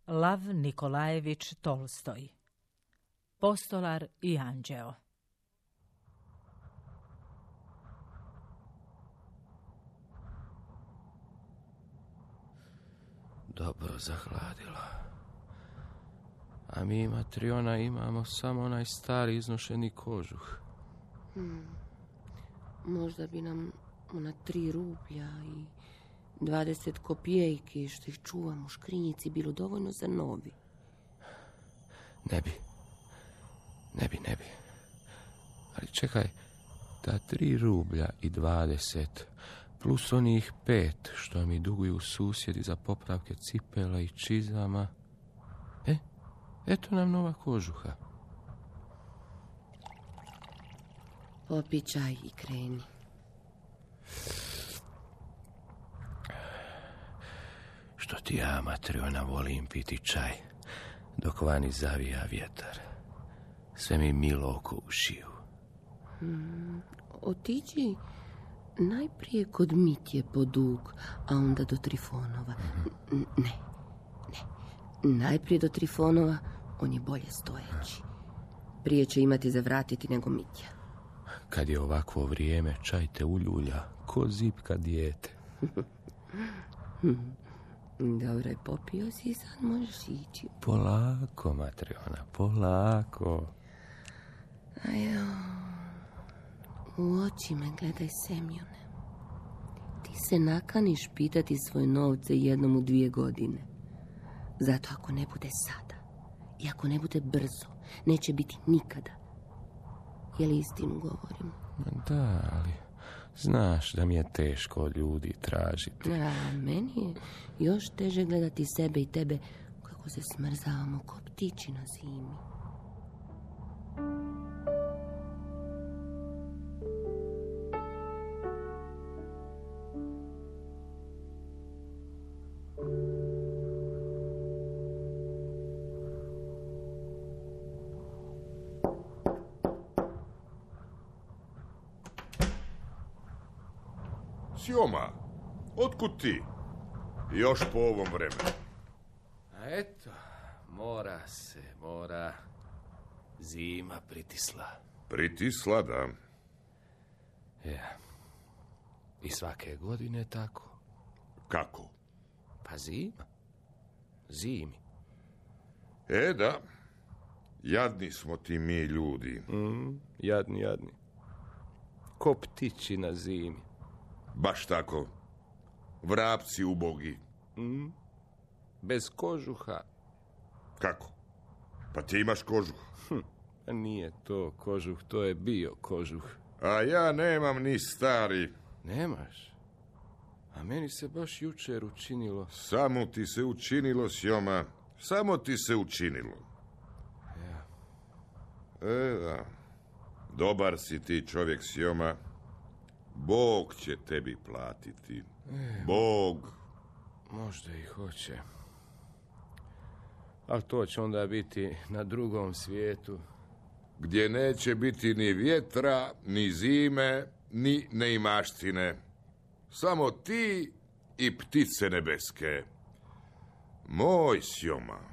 Lav Nikolajević Tolstoj. Postolar i anđeo. Dobro zahladilo. A mi, Matriona, imamo samo onaj stari iznošeni kožuh. Možda bi nam ona 3 rublja i 20 kopijejki što ih čuvam u škrinjici bilo dovoljno za novi. Ne bi. Ali čekaj, ta 3 rublja i 20 plus onih 5 što mi duguju susjedi za popravke cipela i čizama. Eto nam nova kožuha. Popi čaj i kreni. Što ti ja, Matriona, volim piti čaj dok vani zavija vjetar. Sve mi milo oko ušiju. Otiđi najprije kod Mitje po dug, a onda do Trifonova. Ne. Najprije do Trifonova, on je bolje stojeći. Prije će imati za vratiti nego Mitja. Kad je ovakvo vrijeme, čaj te uljulja, ko zipka dijete. Dobro je, popio si, sad možeš ići. Polako, Matriona, polako. Ajo, u oči me gledaj, Semjone. Ti se nakaniš pitati svoje novce jednom u 2 godine. Zato ako ne bude sada i ako ne bude brzo, neće biti nikada. Je li istinu govorim? Da, ali znaš da mi je teško od ljudi tražiti. A meni je još teže gledati sebe i tebe kako se smrzavamo ko ptići na zimi. Sjoma, otkud ti? Još po ovom vremenu. A eto, mora. Zima pritisla. Pritisla, da. Ja. I svake godine tako. Kako? Pa zima. Zimi. Da. Jadni smo ti mi ljudi. Jadni. Ko ptići na zimi. Baš tako. Vrapci ubogi. Bez kožuha. Kako? Pa ti imaš kožuh. Nije to kožuh, to je bio kožuh. A ja nemam ni stari. Nemaš? A meni se baš jučer učinilo. Samo ti se učinilo, Sjoma. Samo ti se učinilo. Ja. Da. Dobar si ti čovjek, Sjoma. Bog će tebi platiti. Bog. Možda i hoće. Ali to će onda biti na drugom svijetu. Gdje neće biti ni vjetra, ni zime, ni neimaštine. Samo ti i ptice nebeske. Moj Sjoma.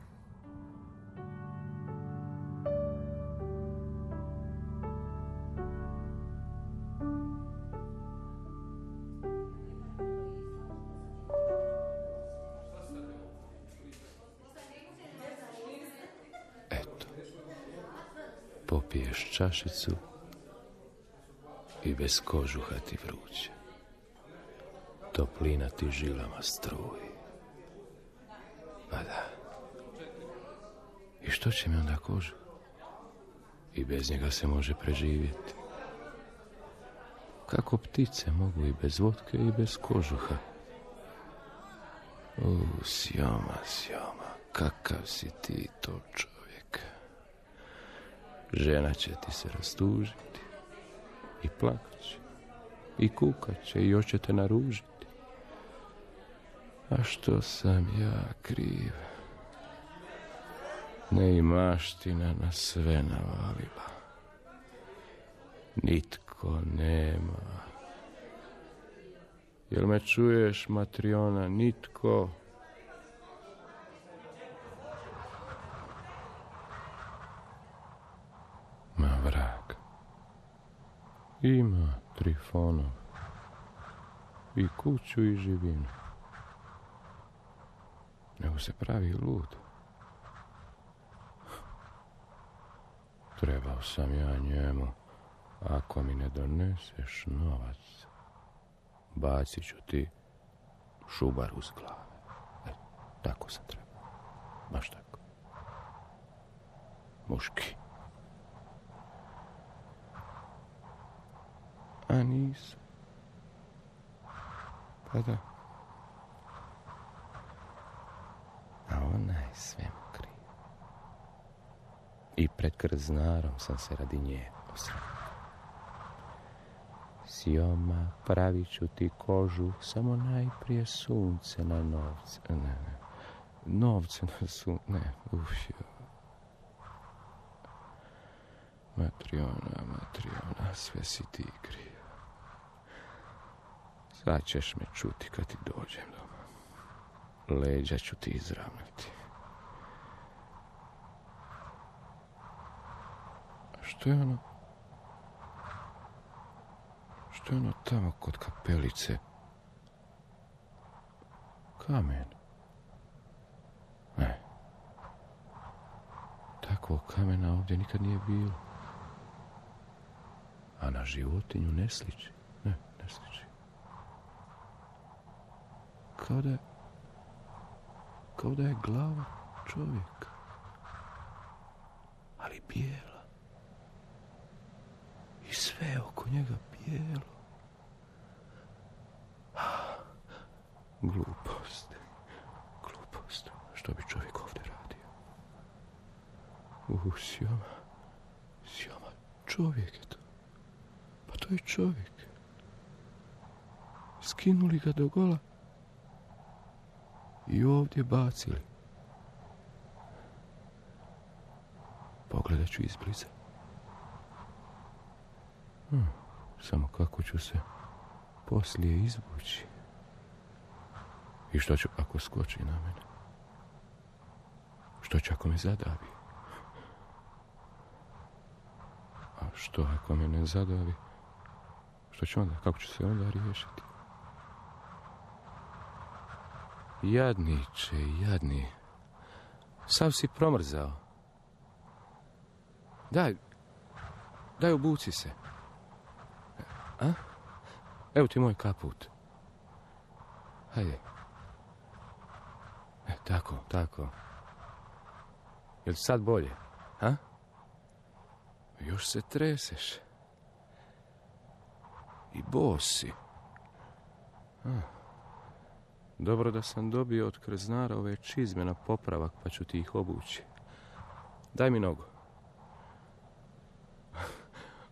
Popiješ čašicu i bez kožuha ti vruće. Toplina ti žilama struji. Pa da. I što će mi onda kožuh? I bez njega se može preživjeti. Kako ptice mogu i bez vodke i bez kožuha. Sjoma, kakav si ti to čovjek. Žena će ti se rastužiti i plakat će i kukat će i još će te naružiti. A što sam ja kriv? Neimaština na sve navalila. Nitko nema. Jel me čuješ, Matriona? Nitko. vrag. Ima Trifonov i kuću i živinu. Nego se pravi lud. Trebao sam ja njemu, ako mi ne doneseš novac, bacit ću ti šubar uz glave. Tako sam trebao. Baš tako. Muški. A nisam. Pa da. A ona je sve mu kriva. I pred krznarom sam se radi nje posramio. Sjoma, pravit ću ti kožu, samo najprije sunce na novce. Ne. Novce na sunce. Ne, Matriona, sve si ti kriv. Sad ćeš me čuti kad ti dođem doma. Leđa ću ti izravnati. Što je ono? Što je ono tamo kod kapelice? Kamen. Ne. Takvog kamena ovdje nikad nije bilo. A na životinju ne sliči. Ne sliči. Kao da je glava čovjeka. Ali bijela. I sve oko njega bijelo. Glupost. Što bi čovjek ovdje radio? Sjoma, čovjek je to. Pa to je čovjek. Skinuli ga do gola i ovdje bacili. Pogledat ću izbliza. Samo kako ću se poslije izvući. I što ću ako skoči na mene? Što će ako me zadavi? A što ako me ne zadavi? Što ću onda? Kako ću se onda riješiti? Jadniče, jadni. Sav si promrzao. Daj obuci se. A? Evo ti moj kaput. Hajde. Tako. Jel ti sad bolje? A? Još se treseš. I bos si. Dobro da sam dobio od krznara ove čizme na popravak, pa ću ti ih obući. Daj mi nogu.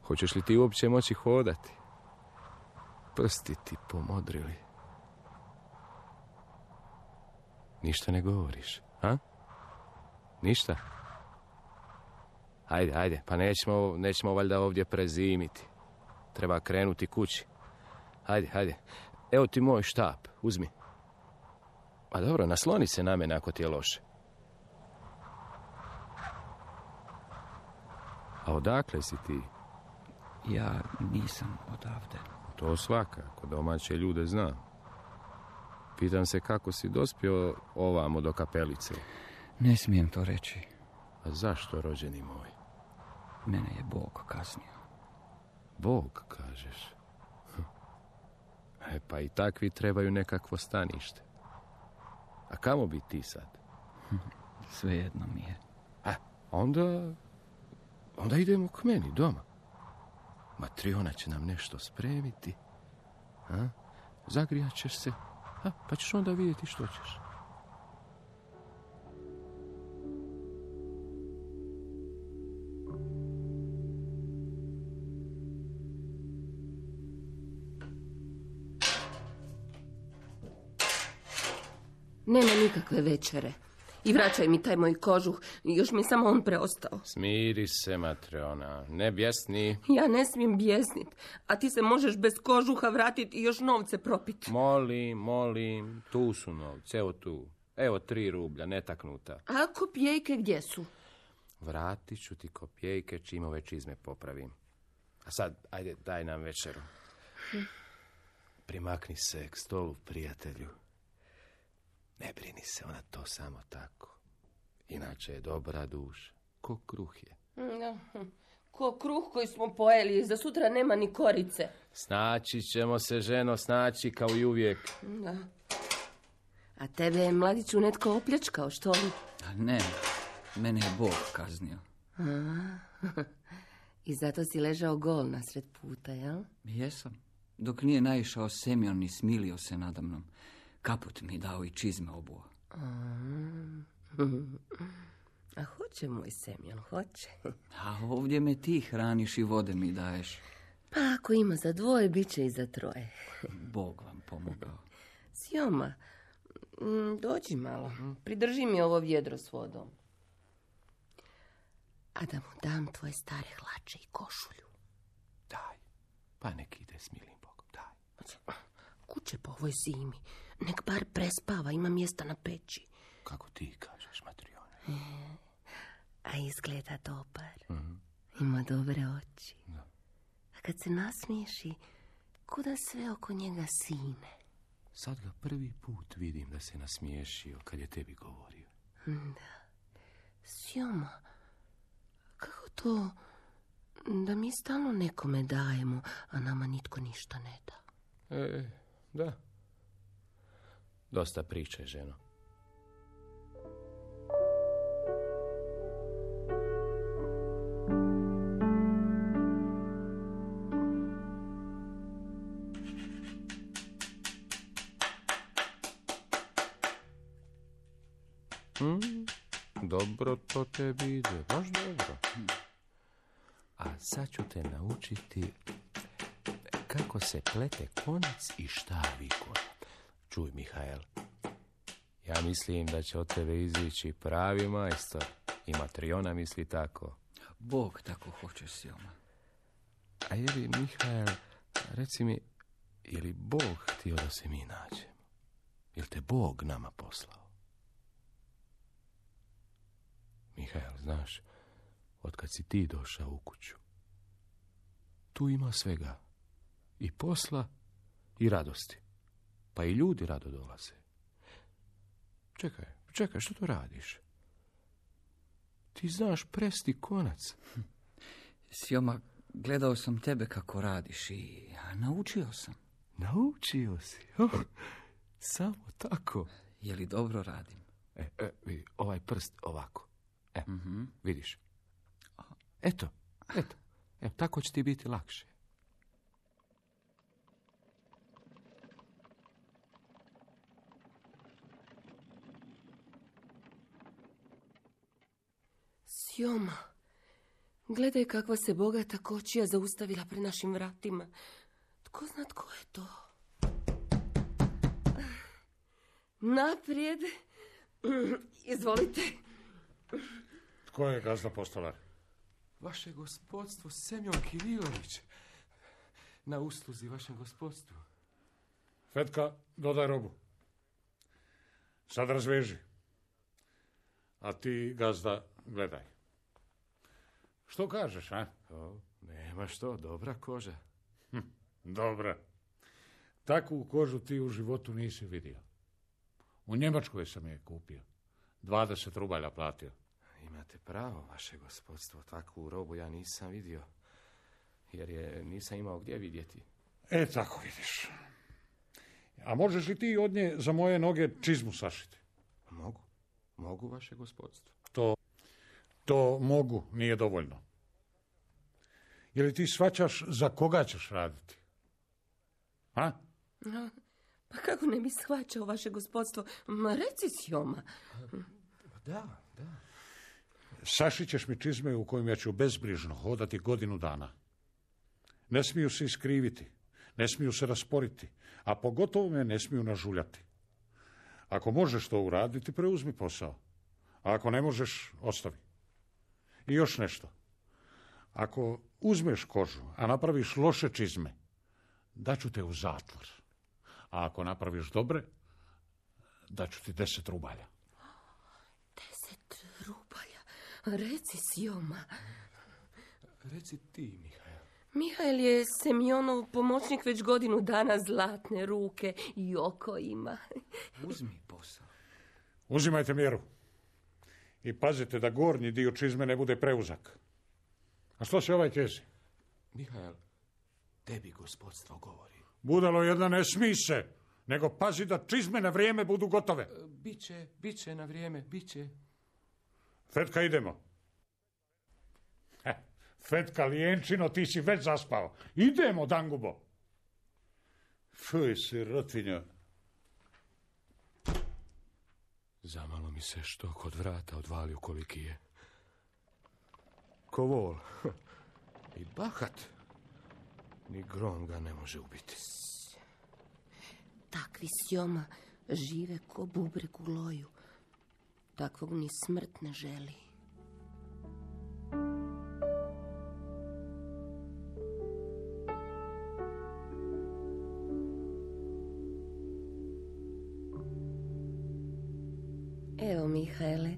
Hoćeš li ti uopće moći hodati? Prsti ti pomodrili. Ništa ne govoriš, a? Ništa? Ajde, pa nećemo valjda ovdje prezimiti. Treba krenuti kući. Ajde. Evo ti moj štap, uzmi. A dobro, nasloni se na mene ako ti je loše. A odakle si ti? Ja nisam odavde. To svakako, domaće ljude znam. Pitam se kako si dospio ovamo do kapelice. Ne smijem to reći. A zašto, rođeni moj? Mene je Bog kaznio. Bog, kažeš? Pa i takvi trebaju nekakvo stanište. A kamo bi ti sad? Svejedno mi je. Onda idemo k meni doma. Matriona će nam nešto spremiti. Zagrijat ćeš se. Pa ćeš onda vidjeti što ćeš. Nema nikakve večere. I vraćaj mi taj moj kožuh. Još mi je samo on preostao. Smiri se, Matriona. Ne bjesni. Ja ne smijem bjesnit. A ti se možeš bez kožuha vratiti i još novce propiti. Molim. Tu su novce. Evo tu. Evo 3 rublja, netaknuta. A kopijejke gdje su? Vratit ću ti kopijejke čim ove čizme popravim. A sad, ajde, daj nam večeru. Primakni se k stolu, prijatelju. Ne brini se, ona to samo tako. Inače je dobra duša. Ko kruh je. Ko kruh koji smo pojeli, za sutra nema ni korice. Snaći ćemo se, ženo, snaći kao i uvijek. Da. A tebe je, mladiću, netko opljačkao, što li? A ne, mene je Bog kaznio. I zato si ležao gol nasred puta, jel? Jesam. Dok nije naišao Semjon i smilio se nadamnom. Kaput mi dao i čizme obuo. A hoće moj Semjon, hoće. A ovdje me ti hraniš i vode mi daješ. Pa ako ima za dvoje, bit će i za troje. Bog vam pomogao. Sjoma, dođi malo, pridrži mi ovo vjedro s vodom. A da mu dam tvoje stare hlače i košulju. Daj, pa nek ide s milim Bogom, daj. Kuće po ovoj zimi, nek bar prespava, ima mjesta na peći. Kako ti kažeš, Matrijone? A izgleda dobar. Ima dobre oči. Da. A kad se nasmiješi, kuda sve oko njega sine. Sad ga prvi put vidim da se nasmiješio kad je tebi govorio. Da. Sjoma, kako to da mi stalno nekome dajemo, a nama nitko ništa ne da? Da. Dosta priče, ženo. Dobro to tebi ide, baš dobro. A sad ću te naučiti kako se plete konac i šta viko. Čuj, Mihael, ja mislim da će od tebe izići pravi majstor. I Matrijona misli tako. Bog tako hoće, Sjoma. A je li, Mihael, reci mi, je li Bog htio da se mi nađemo? Je li te Bog nama poslao? Mihael, znaš, otkad si ti došao u kuću, tu ima svega. I posla, i radosti. Pa i ljudi rado dolaze. Čekaj, što to radiš? Ti znaš presti konac. Sjoma, gledao sam tebe kako radiš i naučio sam. Naučio si? Samo tako. Je li dobro radim? Vidi, ovaj prst ovako. Vidiš? Eto, tako će ti biti lakše. Sjoma, gledaj kakva se bogata kočija zaustavila pred našim vratima. Tko zna tko je to? Naprijed. Izvolite. Tko je gazda postolar? Vaše gospodstvo Semjon Kirilović. Na usluzi vašem gospodstvu. Fetka, dodaj robu. Sad razveži. A ti, gazda, gledaj. Što kažeš, a? Nema što, dobra koža. Dobra. Takvu kožu ti u životu nisi vidio. U Njemačkoj sam je kupio. 20 rubalja platio. Imate pravo, vaše gospodstvo. Takvu robu ja nisam vidio. Jer je nisam imao gdje vidjeti. Tako vidiš. A možeš li ti od nje za moje noge čizmu sašiti? Mogu, vaše gospodstvo. To mogu, nije dovoljno. Je li ti shvaćaš za koga ćeš raditi? A? Pa kako ne bi shvaćao vaše gospodstvo? Ma reci, Sjoma. Da. Sašit ćeš mi čizme u kojim ja ću bezbrižno hodati godinu dana. Ne smiju se iskriviti, ne smiju se rasporiti, a pogotovo me ne smiju nažuljati. Ako možeš to uraditi, preuzmi posao. A ako ne možeš, ostavi. I još nešto. Ako uzmeš kožu, a napraviš loše čizme, daću te u zatvor. A ako napraviš dobre, daću ti 10 rubalja. 10 rubalja? Reci, Sjoma. Reci ti, Mihajl. Mihajl je Semjonov pomoćnik već godinu dana, zlatne ruke i oko ima. Uzmi posao. Uzimajte mjeru. I pazite da gornji dio čizme ne bude preuzak. A što se ovaj kezi? Mihajl, tebi gospodstvo govori. Budalo jedna, ne smij se, nego pazi da čizme na vrijeme budu gotove. Biće na vrijeme, biće. Fetka, idemo. Fetka, lijenčino, ti si već zaspao. Idemo, Dangubo. Fuj, sirotinja. Zamalo mi se što kod vrata odvalio koliki je. Ko vol. I bahat. Ni grom ga ne može ubiti. Takvi, Sjoma, žive ko bubreg u loju. Takvog ni smrt ne želi. Evo, Mihajle,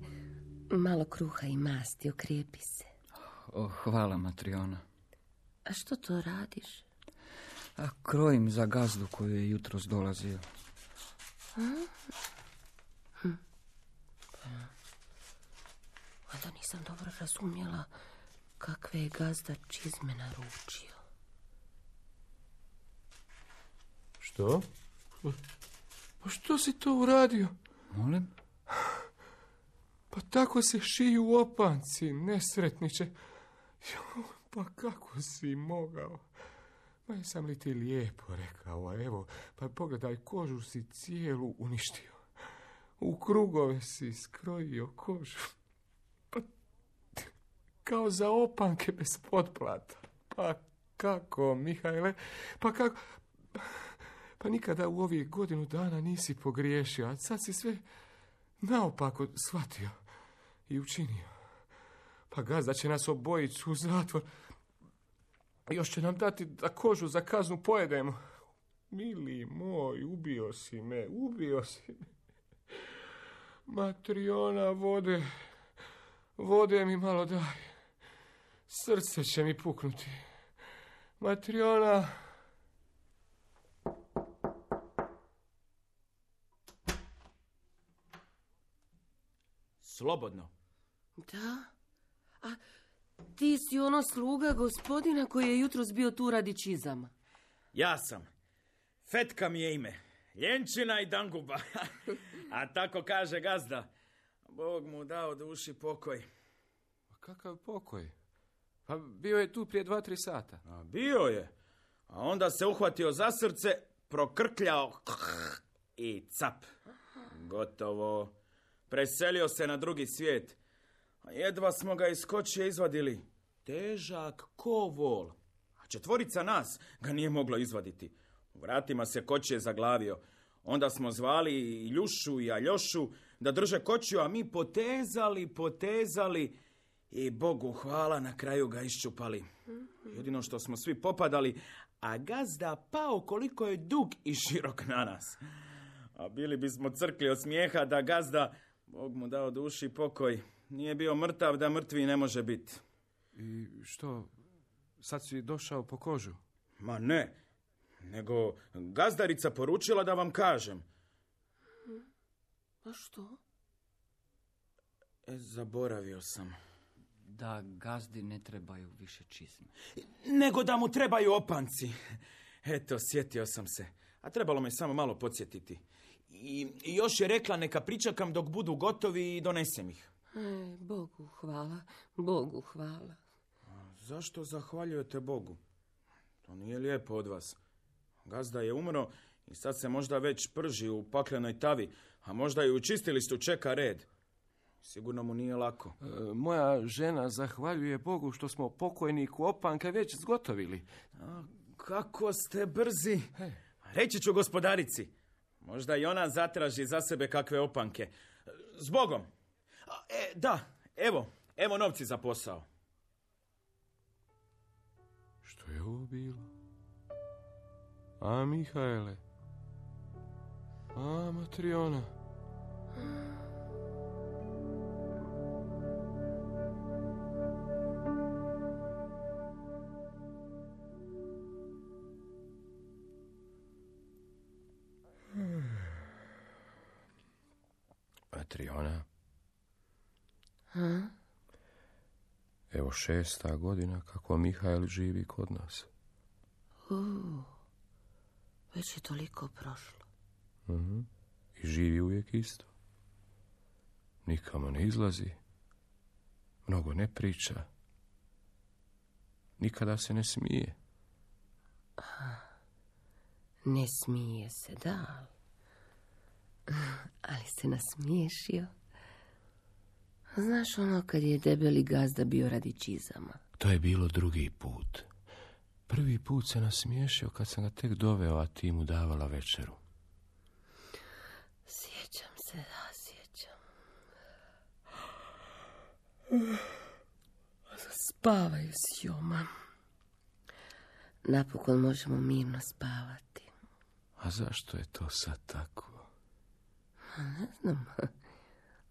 malo kruha i masti, okrijepi se. Hvala, Matriona. A što to radiš? Krojim za gazdu koju je jutros dolazio. Onda nisam dobro razumjela kakve je gazda čizme naručio. Što? Pa što si to uradio? Molim? Pa tako se šiju opanci, nesretniče. Pa kako si mogao? Ma jesam li ti lijepo rekao, a evo, pa pogledaj, kožu si cijelu uništio. U krugove si skrojio kožu. Pa kao za opanke bez potplata. Pa kako, Mihajle? Pa kako? Pa nikada u ovih godinu dana nisi pogriješio, a sad si sve naopako shvatio i učinio. Pa gazda će nas obojicu u zatvor. Još će nam dati da kožu za kaznu pojedemo. Mili moj, ubio si me. Matriona, vode mi malo daj. Srce će mi puknuti. Matriona. Slobodno. Da? A ti si ono sluga gospodina koji je jutros bio tu radi čizama. Ja sam. Fetka mi je ime. Ljenčina i Danguba. A tako kaže gazda. Bog mu dao duši pokoj. Kakav pokoj? Pa bio je tu prije 2-3 sata. A bio je. A onda se uhvatio za srce, prokrkljao i cap. Gotovo. Preselio se na drugi svijet. A jedva smo ga iz kočije izvadili. Težak ko vol. A 4 nas ga nije moglo izvaditi. U vratima se kočije zaglavio. Onda smo zvali i Ljušu i Aljošu da drže kočiju, a mi potezali i Bogu hvala, na kraju ga iščupali. Jedino što smo svi popadali, a gazda pao koliko je dug i širok na nas. A bili bismo crkli od smijeha da gazda, Bog mu dao duši pokoj, nije bio mrtav da mrtvi ne može biti. I što, sad si došao po kožu? Ma ne, nego gazdarica poručila da vam kažem. A što? Zaboravio sam. Da gazdi ne trebaju više čizme. Nego da mu trebaju opanci. Eto, sjetio sam se. A trebalo me samo malo podsjetiti. I još je rekla neka pričakam dok budu gotovi i donesem ih. Bogu hvala. A zašto zahvaljujete Bogu? To nije lijepo od vas. Gazda je umro i sad se možda već prži u paklenoj tavi, a možda i u čistilištu čeka red. Sigurno mu nije lako. Moja žena zahvaljuje Bogu što smo pokojniku opanka već zgotovili. A, kako ste brzi. Reći ću gospodarici. Možda i ona zatraži za sebe kakve opanke. Zbogom. Da, evo novci za posao. Što je ovo bilo? A Mihajle? A Matriona? Matriona. A? Evo 6. godina kako Mihajl živi kod nas. Već je toliko prošlo. I živi uvijek isto. Nikamo ne izlazi. Mnogo ne priča. Nikada se ne smije. Ne smije se, da. Ali se nasmiješio. Znaš ono kad je debeli gazda bio radi čizama? To je bilo drugi put. Prvi put se nasmiješio kad sam ga tek doveo, a ti mu davala večeru. Sjećam se, da, sjećam. Spavaj, Sjoma. Napokon možemo mirno spavati. A zašto je to sad tako? Ne znam.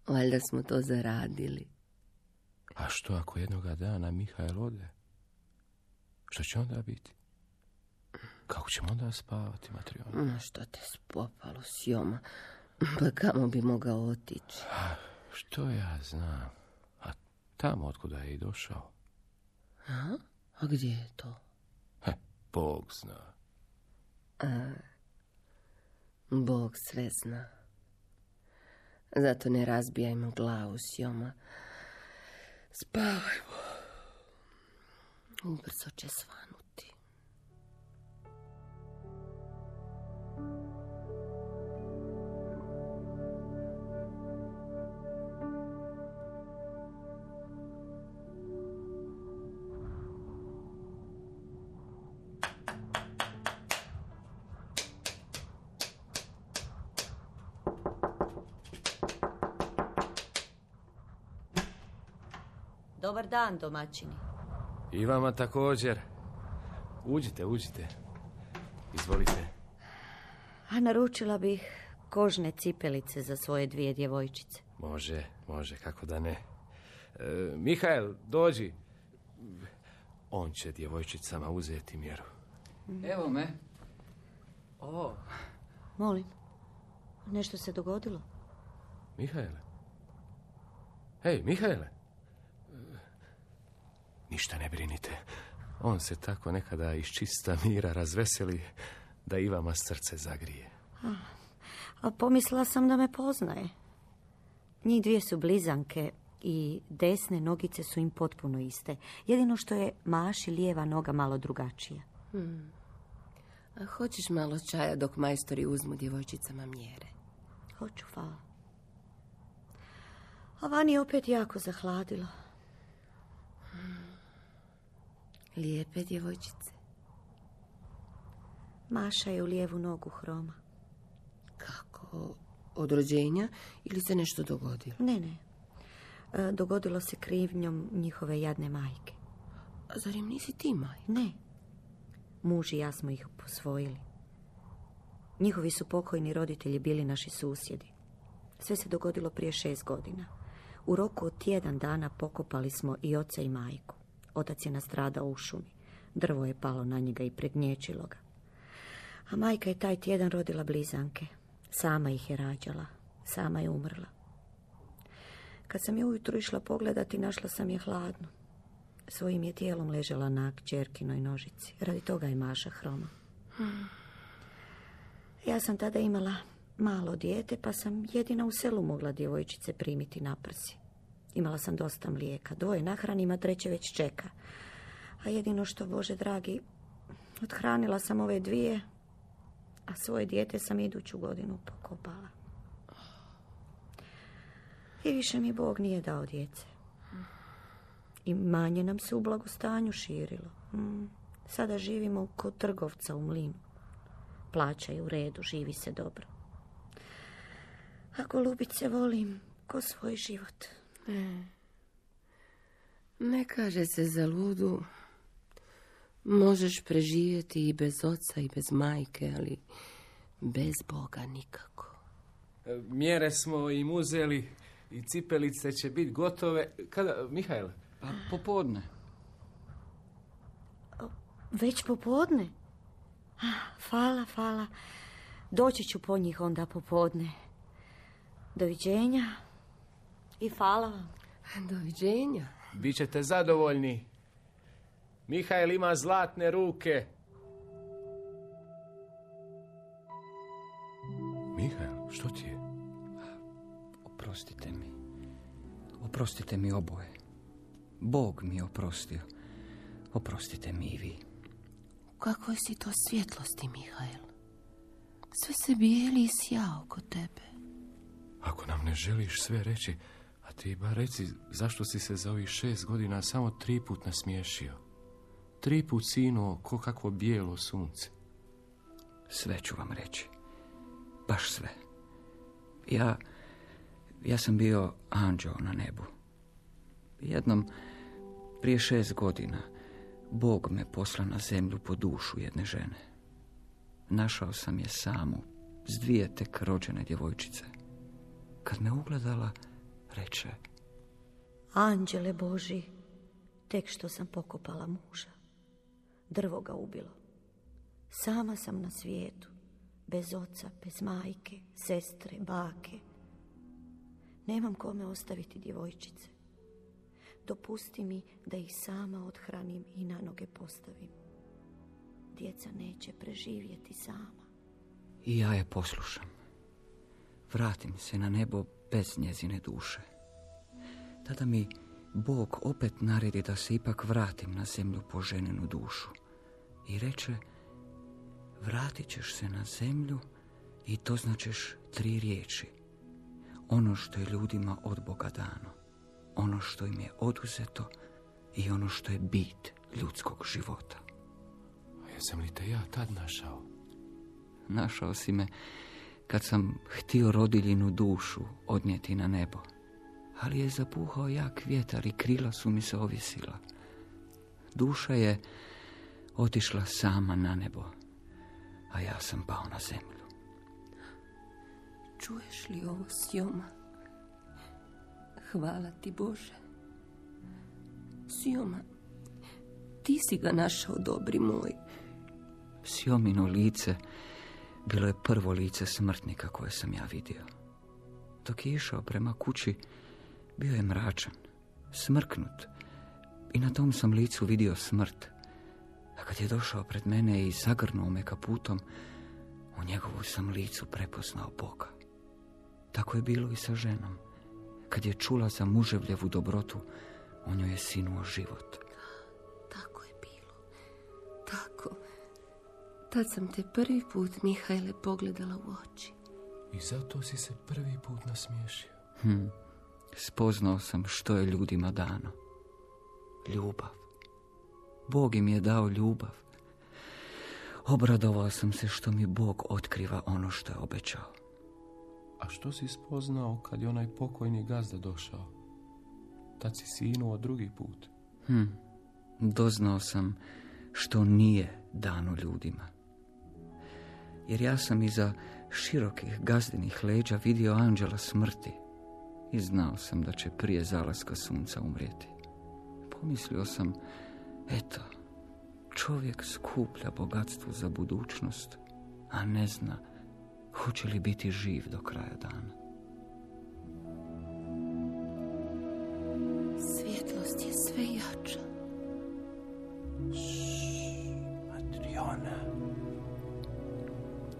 Valjda smo to zaradili. A što ako jednoga dana Mihajl ode? Što će onda biti? Kako ćemo onda spavati, Matriona? Ma što te spopalo, Sjoma? Pa kamo bi mogao otići? Što ja znam? A tamo otkuda je i došao? A gdje je to? Bog zna. Bog sve zna. Zato ne razbijajmo glavu, Sjoma. Spavajmo. Ubrzo će svanuti. Dobar dan, domaćini. I vama također. Uđite. Izvolite. A naručila bih kožne cipelice za svoje 2 djevojčice. Može, kako da ne. Mihajl, dođi. On će djevojčicama uzeti mjeru. Evo me. Molim, nešto se dogodilo? Mihajle? Hej, Mihajle! Ništa ne brinite. On se tako nekada iz čista mira razveseli da i vama srce zagrije. A pomislila sam da me poznaje. Njih 2 su blizanke i desne nogice su im potpuno iste. Jedino što je Maši lijeva noga malo drugačija. A hoćeš malo čaja dok majstori uzmu djevojčicama mjere? Hoću, hvala. A vani je opet jako zahladilo. Lijepe djevojčice. Maša je u lijevu nogu hroma. Kako? Od rođenja ili se nešto dogodilo? Ne. Dogodilo se krivnjom njihove jadne majke. A zar im nisi ti majka? Ne. Muž i ja smo ih posvojili. Njihovi su pokojni roditelji bili naši susjedi. Sve se dogodilo prije 6 godina. U roku od tjedan dana pokopali smo i oca i majku. Otac je nastradao u šumi. Drvo je palo na njega i pregnječilo ga. A majka je taj tjedan rodila blizanke. Sama ih je rađala. Sama je umrla. Kad sam je ujutro išla pogledati, našla sam je hladnu. Svojim je tijelom ležala na kćerkinoj nožici. Radi toga je Maša hroma. Ja sam tada imala malo dijete, pa sam jedina u selu mogla djevojčice primiti na prsi. Imala sam dosta mlijeka. 2 nahranim, a 3 već čeka. A jedino što, Bože dragi, othranila sam ove 2, a svoje dijete sam iduću godinu pokopala. I više mi Bog nije dao djece. I manje nam se u blagostanju širilo. Sada živimo kod trgovca u mlinu. Plaća je u redu, živi se dobro. A golubice volim ko svoj život. Ne kaže se za ludu. Možeš preživjeti i bez oca i bez majke, ali bez Boga nikako. Mjere smo im uzeli i cipelice će biti gotove. Kada, Mihajl? Pa popodne. Već popodne? Hvala. Doći ću po njih onda popodne. Doviđenja. I hvala vam. Doviđenja. Bićete zadovoljni. Mihael ima zlatne ruke. Mihael, što ti je? Oprostite mi. Oprostite mi oboje. Bog mi je oprostio. Oprostite mi i vi. U kakvoj si to svjetlosti, Mihael? Sve se bijeli i sja oko tebe. Ako nam ne želiš sve reći, a ti bar reci zašto si se za ovih 6 godina samo 3 put nasmiješio. 3 put sinuo ko kakvo bijelo sunce. Sve ću vam reći. Baš sve. Ja sam bio anđeo na nebu. Jednom, prije 6 godina, Bog me posla na zemlju po dušu jedne žene. Našao sam je samu, s 2 tek rođene djevojčice. Kad me ugledala, reče: Anđele Boži, tek što sam pokopala muža. Drvo ga ubilo. Sama sam na svijetu, bez oca, bez majke, sestre, bake. Nemam kome ostaviti djevojčice. Dopusti mi da ih sama othranim i na noge postavim. Djeca neće preživjeti sama. I ja je poslušam. Vratim se na nebo bez njezine duše. Tada mi Bog opet naredi da se ipak vratim na zemlju po ženinu dušu. I reče: vratit ćeš se na zemlju i doznačeš 3 riječi. Ono što je ljudima od Boga dano, ono što im je oduzeto i ono što je bit ljudskog života. A jesam li te ja tad našao? Našao si me kad sam htio rodiljinu dušu odnijeti na nebo, ali je zapuhao jak vjetar i krila su mi se ovisila. Duša je otišla sama na nebo, a ja sam pao na zemlju. Čuješ li ovo, Sjoma? Hvala ti, Bože. Sjoma, ti si ga našao, dobri moj. Sjomino lice bilo je prvo lice smrtnika koje sam ja vidio. Dok je išao prema kući, bio je mračan, smrknut i na tom sam licu vidio smrt. A kad je došao pred mene i zagrnuo me kaputom, u njegovu sam licu prepoznao Boga. Tako je bilo i sa ženom. Kad je čula za muževljevu dobrotu, u njoj je sinuo život. Tako je bilo. Tako. Tad sam te prvi put, Mihajle, pogledala u oči. I zato si se prvi put nasmiješio. Spoznao sam što je ljudima dano. Ljubav. Bog im je dao ljubav. Obradovao sam se što mi Bog otkriva ono što je obećao. A što si spoznao kad je onaj pokojni gazda došao? Tad si sinuo 2. put. Doznao sam što nije dano ljudima. Jer ja sam iza širokih gazdinih leđa vidio anđela smrti i znao sam da će prije zalaska sunca umrijeti. Pomislio sam, eto, čovjek skuplja bogatstvo za budućnost, a ne zna hoće li biti živ do kraja dana. Svjetlost je sve jača. Adriana.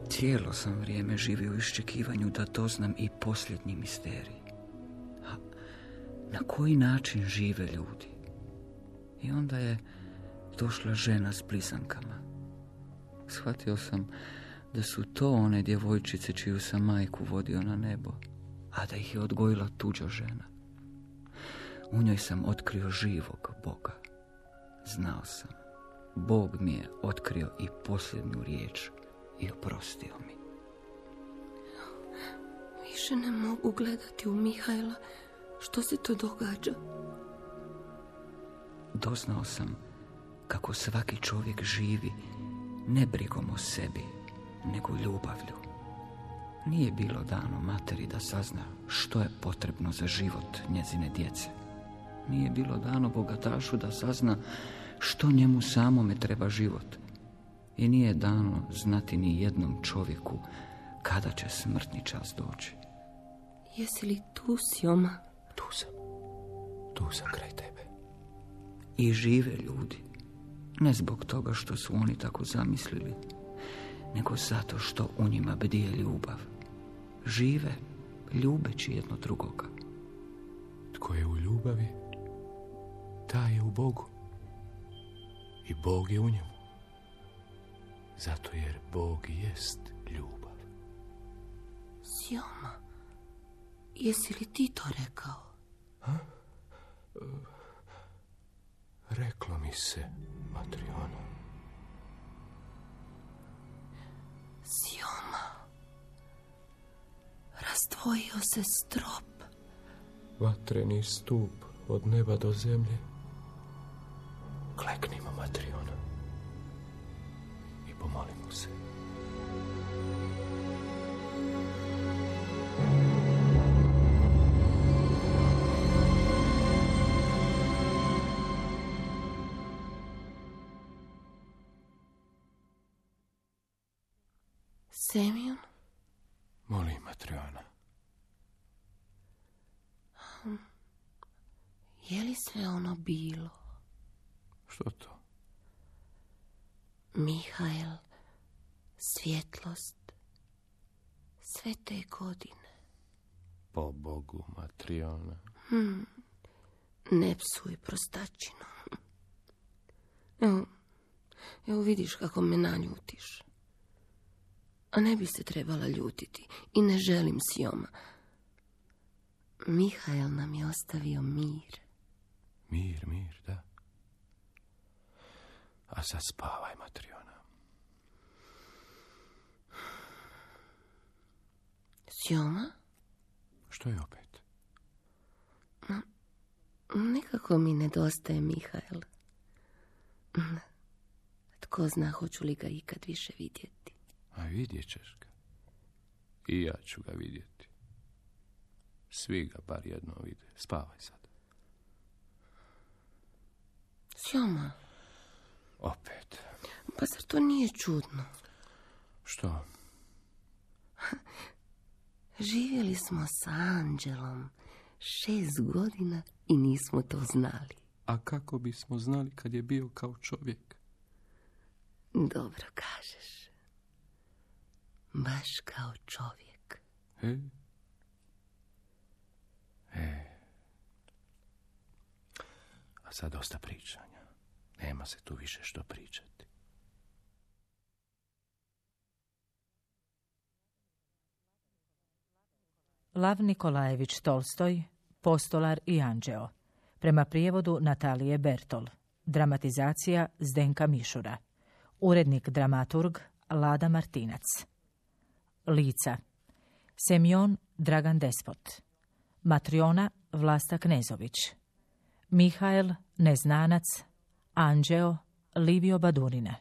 Cijelo sam vrijeme živio u iščekivanju da doznam i posljednji misterij. A na koji način žive ljudi? I onda je došla žena s blizankama. Shvatio sam da su to one djevojčice čiju sam majku vodio na nebo, a da ih je odgojila tuđa žena. U njoj sam otkrio živog Boga. Znao sam, Bog mi je otkrio i posljednju riječ i oprostio mi. Više ne mogu gledati u Mihajla. Što se to događa? Doznao sam kako svaki čovjek živi ne brigom o sebi, nego ljubavlju. Nije bilo dano materi da sazna što je potrebno za život njezine djece. Nije bilo dano bogatašu da sazna što njemu samome treba život. I nije dano znati ni jednom čovjeku kada će smrtni čas doći. Jesi li tu, Sjoma? Tu sam kraj tebe. I žive ljudi. Ne zbog toga što su oni tako zamislili, nego zato što u njima bdije ljubav. Žive, ljubeći jedno drugoga. Tko je u ljubavi, taj je u Bogu. I Bog je u njemu. Zato jer Bog jest ljubav. Sjoma, jesi li ti to rekao? Reklo mi se, Matriona. Sjoma, razdvojio se strop. Vatreni stup od neba do zemlje. Kleknimo, Matriona, i pomolimo se. Semjon? Molim, Matriona. Je li sve ono bilo? Što to? Mihael, svjetlost, sve te godine. Po Bogu, Matriona. Ne psuj, prostačino. Evo vidiš kako me naljutiš. A ne bi se trebala ljutiti. I ne želim, Sjoma. Mihael nam je ostavio mir. Mir, da. A sad spavaj, Matriona. Sjoma? Što je opet? Nekako mi nedostaje Mihael. Tko zna hoću li ga ikad više vidjeti. A vidjet ćeš ga. I ja ću ga vidjeti. Svi ga bar jedno vide. Spavaj sad. Sjoma. Opet. Pa zar to nije čudno? Što? Živjeli smo sa Anđelom 6 godina i nismo to znali. A kako bismo znali kad je bio kao čovjek? Dobro kažeš. Baš kao čovjek. A sad dosta pričanja. Nema se tu više što pričati. Lav Nikolajević Tolstoj, Postolar i anđeo. Prema prijevodu Natalije Bertol. Dramatizacija Zdenka Mišura. Urednik dramaturg Lada Martinac. Lica: Semjon Dragan Despot, Matriona Vlasta Knezović, Mihael Neznanac, Anđeo Livio Badurina,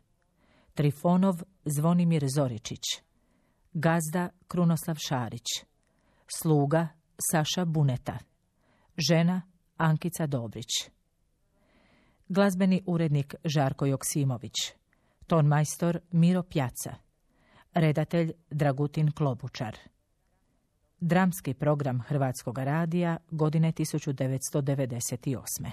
Trifonov Zvonimir Zoričić, Gazda Krunoslav Šarić, Sluga Saša Buneta, Žena Ankica Dobrić. Glazbeni urednik Žarko Joksimović, tonmajstor Miro Pjaca, redatelj Dragutin Klobučar. Dramski program Hrvatskog radija godine 1998.